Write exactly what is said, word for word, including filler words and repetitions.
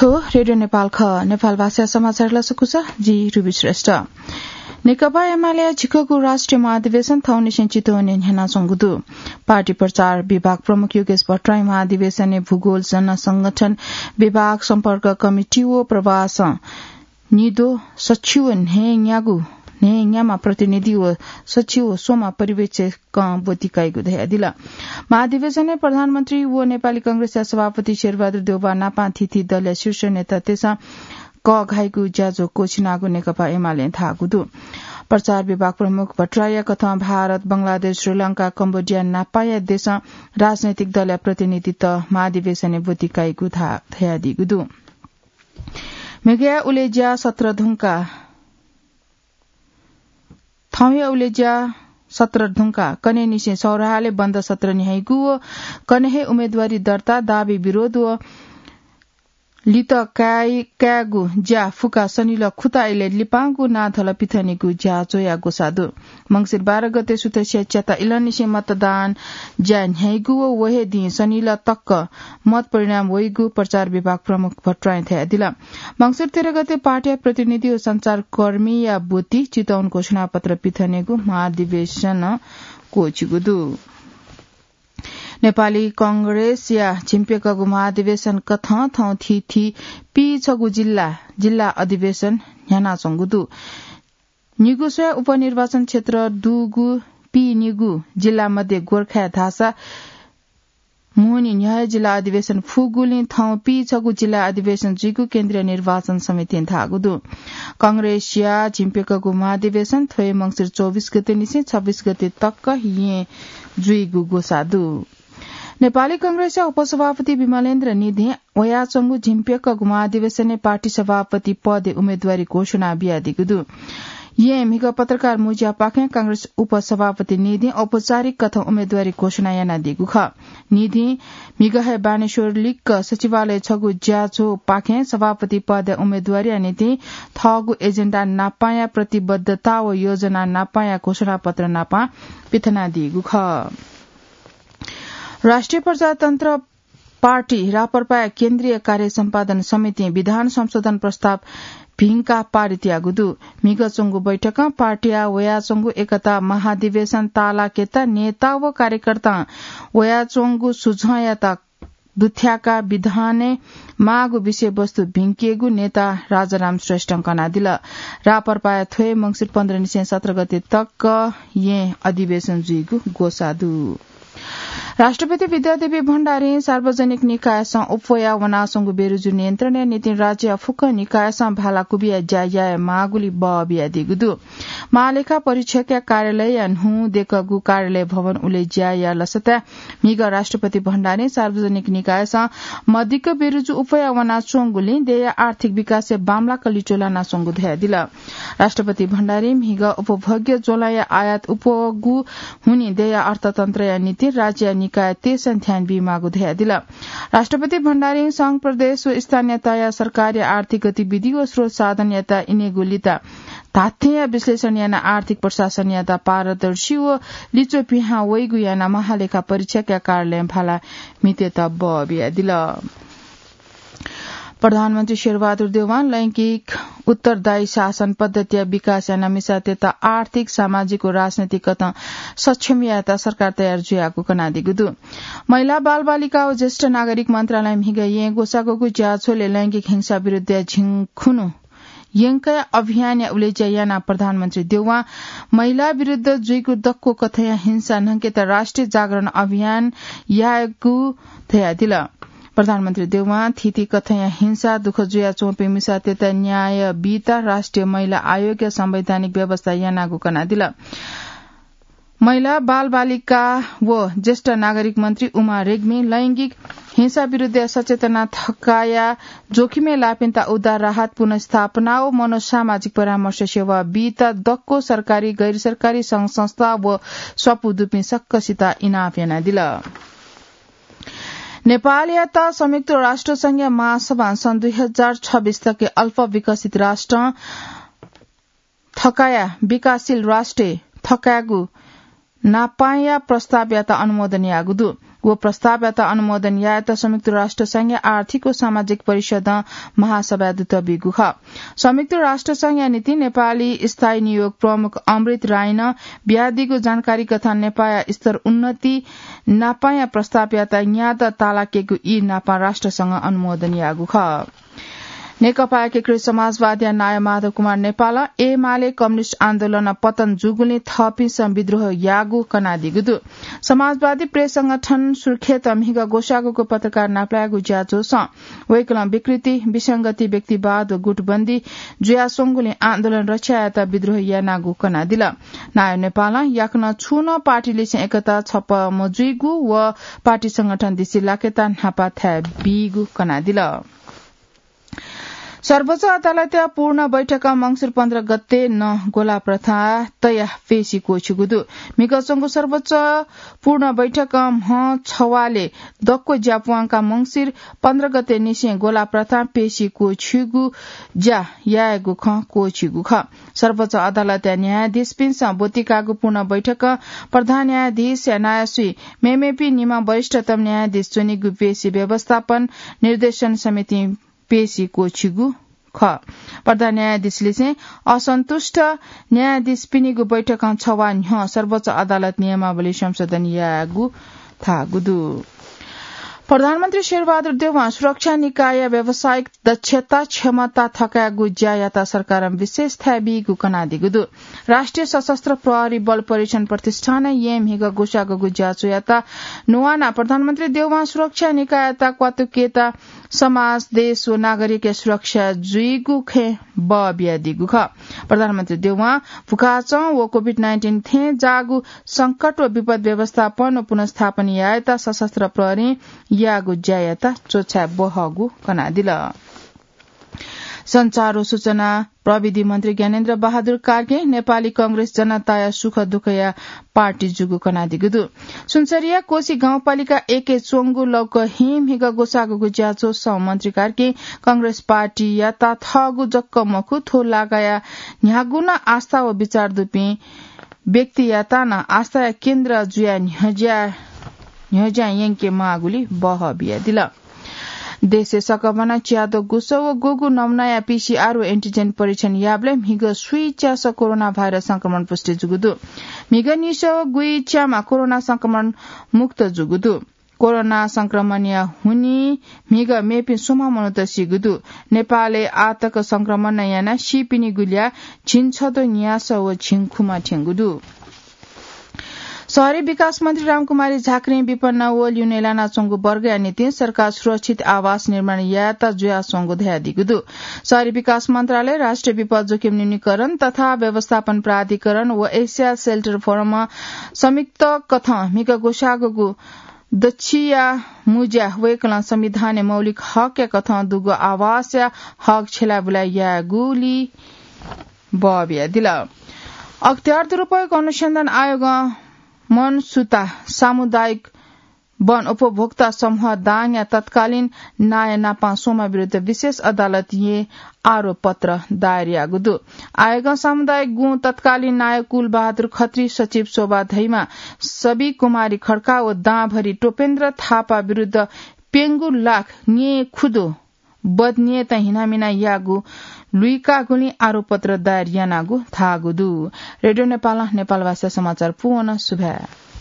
थ्व रेडियो नेपाल खः। नेपाल भाषा समाचार लसकुस, जि रुबी श्रेष्ठ। नेकपा एमाले झिक्कगु राष्ट्रिय महाधिवेशन थौंनिसें चितवनय् न्ह्यानाच्वंगु दु। पार्टी प्रचार विभाग प्रमुख योगेश भट्टराई महाधिवेशनय् भूगोल, जनसंगठन, विभाग, सम्पर्क कमिटी व प्रवास निद्वः सछि व न्हय्‌न्यागू, न्हय्‌न्यामा प्रतिनिधि व सछि व स्वमा पर्यवेक्षकं ब्वति काइगु धयादिल। महाधिवेशनय् प्रधानमन्त्री व नेपाली कांग्रेसया सभापति शेरबहादुर देउवा नापं थीथी दलया शीर्ष नेतातय्‌सं कःघाइगु ज्याझ्वः क्वःछिनागु नेकपा एमालें धाःगु दु। प्रचार विभाग प्रमुख भट्टराईया कथं भारत, बंगलादेश, श्रीलंका, कम्बोडिया नापंया देशं राजनैतिक दलया प्रतिनिधित महाधिवेशनय् ब्वति काइगु धा-, धयादीगु दु। म्हिगया उलेज्या सत्र धुंका, थौंया उलेज्या सत्र धुंका कन्हय्‌निसें सौराहालय् बन्द सत्र न्ह्याइगु व कन्हय् हे उम्मेदवारी दर्ता, दाबी विरोध व लित काइ-, कायेगु ज्या फुकाः शनिलः खुता इलय् लिपांगु नाधल पिथनेगु ज्या च्वया ग्वसाः दु। मंसिर बाह्र गते सुथसिया च्याता इलंनिसें मतदान ज्या न्ह्याइगु व व हे दिं शनिलः तक मत परिणाम वइगु प्रचार विभाग प्रमुख भट्टराईं धयादिल। मंसिर तेह्र गते पार्टीया प्रतिनिधि व सञ्चारकर्मीया ब्वति चितवन घोषणापत्र पिथनेगु महाधिवेशन क्वःछिगु दु। नेपाली कांग्रेसया झिंप्यकःगु महाधिवेशन कथं थौं थीथी पीछगू जिल्ला, जिल्ला अधिवेशन न्ह्यानाच्वंगु दु। निगू स्वया उपनिर्वाचन क्षेत्र दुगु पीनिगू जिल्ला मध्ये गोर्खाय् धाःसा मुंनि न्ह्यः हे जिल्ला अधिवेशन फुगुलिं थौं पीछगू जिल्ला अधिवेशन जुइगु केन्द्रीय निर्वाचन समितिं धाःगु दु। कांग्रेसया झिंप्यकःगु महाधिवेशन थ्व हे मंसिर चौबिस गतेनिसें छब्बिस गते तक येँ जुइगु ग्वसाः दु। नेपाली कांग्रेसया उपसभापति विमलेन्द्र निधिं वयाच्वंगु झिंप्यकःगु महाधिवेशनय् पार्टी सभापति पदय् उम्मेदवारी घोषणा बियादीगु दु। येँ म्हिगः पत्रकार मुँज्यापाखें कांग्रेस उपसभापति निधिं औपचारिक कथं उम्मेदवारी घोषणा यानादीगु खः। निधिं म्हिगः हे बानेश्वर लिक्क सचिवालय छगू ज्याझ्वःपाखें सभापति पदया उम्मेदवारीया निंतिं थःगु एजेन्डा नापांया प्रतिबद्धता व योजना नापांया घोषणापत्र नापं पिथनादीगु खः। राष्ट्रिय प्रजातन्त्र पार्टी राप्रपाया केन्द्रीय कार्य सम्पादन समितिं विधान संशोधन प्रस्ताव भिंकाः पारित याःगु दु। म्हिगः च्वंगु बैठकं पार्टीया वयाच्वंगु एकता महाधिवेशन तालाकेता नेता व कार्यकर्तां वयाच्वंगु सुझावयात दुथ्याकाः विधानय् माःगु विषयवस्तु भिंकेगु नेता राजाराम श्रेष्ठं कनादिल। राप्रपाया थ्व हे मंसिर पन्ध्र निसें सत्र गते तक येँ अधिवेशन जुइगु ग्वसाः दु। राष्ट्रपति विद्यादेवी भण्डारीं सार्वजनिक निकायसं अप्वया वनाच्वंगु बेरुजु नियन्त्रणया निंतिं राज्यया फुक्क निकायसं भाला क्वबिया ज्या याये माःगुलिं बः बियादीगु दु। महालेखा परीक्षकया कार्यालयया न्हूदँय्‌गु कार्यालय भवन उलेज्या याये लसताय् म्हिगः राष्ट्रपति भण्डारीं सार्वजनिक निकायसं मदिक्क बेरुजु अप्वया वनाच्वंगुलिं देय्‌या आर्थिक विकासय् बांमलाक लिच्वः लानाच्वंगु धयादिल। राष्ट्रपति भण्डारीं म्हिगः उपभोग्य ज्वलंया आयात अप्वःगु हुनिं देय्‌या अर्थतन्त्रया निंतिं राज्यया निकायतय्‌सं ध्यान बीमाःगु धयादिल। राष्ट्रपति भण्डारीं संघ, प्रदेश व स्थानीय तहया सरकारया आर्थिक गतिविधि व स्रोत साधनयात इनेगु लित धात्थेंया विश्लेषण यानाः आर्थिक प्रशासनयात पारदर्शी व लिच्वः पिहां वइगु यानाः महालेखा परीक्षकया कार्यालयं भाला म्हितेत बः बियादिल। प्रधानमन्त्री शेरबहादुर देउवां लैंगिक उत्तरदायी शासन पद्धतिया विकास यानाः मिसातय्‌त आर्थिक, सामाजिक व राजनैतिक कथं सक्षम यायेत सरकार तयार जुयागु कनादीगु दु। महिला, बालबालिका व ज्येष्ठ नागरिक मन्त्रालयं म्हिगः येँ ग्वसाःगु ज्याझ्वलय् लैंगिक हिंसा विरुद्धया झिंखुन्हु यंकया अभियानया उलेज्या यानाः प्रधानमन्त्री देउवां महिला विरुद्ध जुइगु दक्व कथंया हिंसा न्हंकेत राष्ट्रिय जागरण अभियान यायेगु धयादिल। प्रधानमन्त्री देउवां थीथी कथंया हिंसा दुःख जुयाच्वंपिं मिसातय्‌त न्याय बीत राष्ट्रिय महिला आयोगया संवैधानिक व्यवस्था यानागु कनादिल। महिला, बालबालिका व ज्येष्ठ नागरिक मन्त्री उमा रेग्मीं लैंगिक हिंसा विरुद्धया सचेतना थकाया जोखिमय् लाःपिन्त उद्धार, राहत, पुनर्स्थापना व मनोसामाजिक परामर्श सेवा बीत दक्व सरकारी, गैर सरकारी संघ संस्था व स्वापू दुपिं सकसित इनाप यानादिल। नेपालयात संयुक्त राष्ट्र संघया महासभां सन् दुई हजार छब्बिस तक अल्प विकसित राष्ट्रं थकाया विकासशील राष्ट्रय् थकायेगु नापांया प्रस्तावयात अनुमोदन याःगु दु। व प्रस्तावयात अनुमोदन यायेत संयुक्त राष्ट्र संघया आर्थिक व सामाजिक परिषदं महासभा दुत बीगु खः। संयुक्त राष्ट्र संघया निंतिं नेपाली स्थायी नियोग प्रमुख अमृत राईनं बियादीगु जानकारी कथं नेपाःया स्तर उन्नति नापांया प्रस्तावयात न्यात तालाकेगु ई नापां राष्ट्रसंघं अनुमोदन याःगु खः। नेकपा एकीकृत समाजवादीया नायः माधव कुमार नेपालं एमाले कम्युनिस्ट आन्दोलनं पतन जूगुलिं थःपिन्सं विद्रोह याःगु कनादीगु दु। समाजवादी प्रेस संगठन सुर्खेतं म्हिगः ग्वसाःगुगु पत्रकार नापलायेगु ज्याझ्वलय् वय्कलं विकृति, विसंगति, व्यक्तिवाद व गुटबन्दी जुयाच्वंगुलिं आन्दोलन रक्षा यायेत विद्रोह यानागु कनादिल। नायः नेपालं याकनं छुं नं पार्टीलिसें एकता छप्पँ मजुइगु व पार्टी संगठन दिसे लाकेत न्हापा थाय् बीगु कनादिल। सर्वोच्च अदालतया पूर्ण बैठकं मंसिर पन्ध्र गते नं ग्वलाः प्रथा तयाः पेशी क्वःछिगु दु। म्हिगः च्वंगु सर्वोच्च पूर्ण बैठकं म्ह छवाले दक्व ज्या प्वांकाः मंसिर पन्ध्र गते निसें ग्वलाः प्रथा पेशी क्वःछिगु ज्या यायेगु खँ क्वःछिगु खः। सर्वोच्च अदालतया न्यायाधीशपिन्सं ब्वतिकाःगु पूर्ण बैठकं प्रधान न्यायाधीशया नायःसुइ मेमेपिं निम्ह वरिष्ठतम न्यायाधीश च्वनीगु पेशी व्यवस्थापन निर्देशन समितिं पेशी क्वःछिगु खः। प्रधान न्यायाधीशलिसें असन्तुष्ट न्यायाधीशपिनिगु बैठकं छवाः न्ह्यः सर्वोच्च अदालत नियमावली संशोधन यायेगु धाःगु दु। प्रधानमन्त्री शेरबहादुर देउवां सुरक्षा निकायया व्यावसायिक दक्षता क्षमता थकायेगु ज्यायात सरकारं विशेष थाय् बीगु कनादीगु दु। राष्ट्रिय सशस्त्र प्रहरी बल परीक्षण प्रतिष्ठानं येँ म्हिगः ग्वसाःगु ज्याझ्वःयात नुवानाः प्रधानमन्त्री देउवां सुरक्षा निकाययात क्वातुकेत समाज, देश व नागरिकया सुरक्षा जुइगु खँय् बः बियादीगु खः। प्रधानमन्त्री देउवां भुखाचं व कोभिड नाइन्टिन थें जाःगु संकट व विपद व्यवस्थापन व पुनर्स्थापन यायेत सशस्त्र प्रहरीं याःगु ज्यायात च्वछाय् बहःगु कनादिल। सञ्चार व सूचना प्रविधि मन्त्री ज्ञानेन्द्र बहादुर कार्कीं नेपाली कांग्रेस जनताया सुख दुःखया पार्टी जूगु कनादीगु दु। सुनसरीया कोशी गाउँपालिका एकय् च्वंगु लौकहिं म्हिगः ग्वसाःगु ज्याझ्वलय् मन्त्री कार्कीं कांग्रेस पार्टीयात थःगु जक मखु, थ्व लागाया न्ह्यागु नं आस्था व विचार दुपिं व्यक्तियात नं आस्थाया केन्द्र जुयाः न्ह्यज्या, न्ह्यज्यां यंके माःगुली बहः बियादिल। देशय् सकभनं च्याद्वः गुसः व गुगु नमुनाया पीसीआर व एन्टिजेन परीक्षण याःबलय् म्हिगः स्वीच्यासः कोरोना भाइरस संक्रमण पुष्टि जूगु दु। म्हिगः निसः व गुइच्याम्ह कोरोना संक्रमण मुक्त जूगु दु। कोरोना संक्रमणया हुनिं म्हिगः मेपिं स्वम्ह मनूत सीगु दु। नेपालय् आःतक संक्रमण यानाः सीपिनिगु ल्याः झिंछद्वः न्यासः व झिंखुम्ह थ्यंगु दु। शहरी विकास मन्त्री रामकुमारी झाक्रीं विपन्न व ल्यूने लानाच्वंगु वर्गया निंतिं सरकार सुरक्षित आवास निर्माण यायेत जुयाच्वंगु धयादीगु दु। शहरी विकास मन्त्रालय, राष्ट्रिय विपद जोखिम न्यूनीकरण तथा व्यवस्थापन प्राधिकरण व एसिया सेल्टर फोरमं संयुक्त कथं म्हिगः ग्वसाःगु दच्छिया मुँज्या वय्कलं संविधानय् मौलिक हकया कथं दुगु आवासया हक छ्यलाबुला यायेगुली बः बियादिल। अख्तियार दुरुपयोग अनुसन्धान आयोगं मनसुता सामुदायिक वन उपभोक्ता समूह दाङया तत्कालीन नायः नापं स्वम्ह विरुद्ध विशेष अदालतय् आरोप पत्र दायर याःगु दु। आयोगं सामुदायिक गुँ तत्कालीन नायः कुलबहादुर खत्री, सचिव शोभा धैमा, सबिकुमारी खड्का व दांभरि टोपेन्द्र थापा विरुद्ध प्यंगू लाख न्येँ खुदु बदनियतं हिनामिना याःगु लुइकागुलिं आरोपपत्र दायर यानागु धाःगु दु। रेडियो नेपालं नेपालभाषा समाचार पूवन। सुभाय्।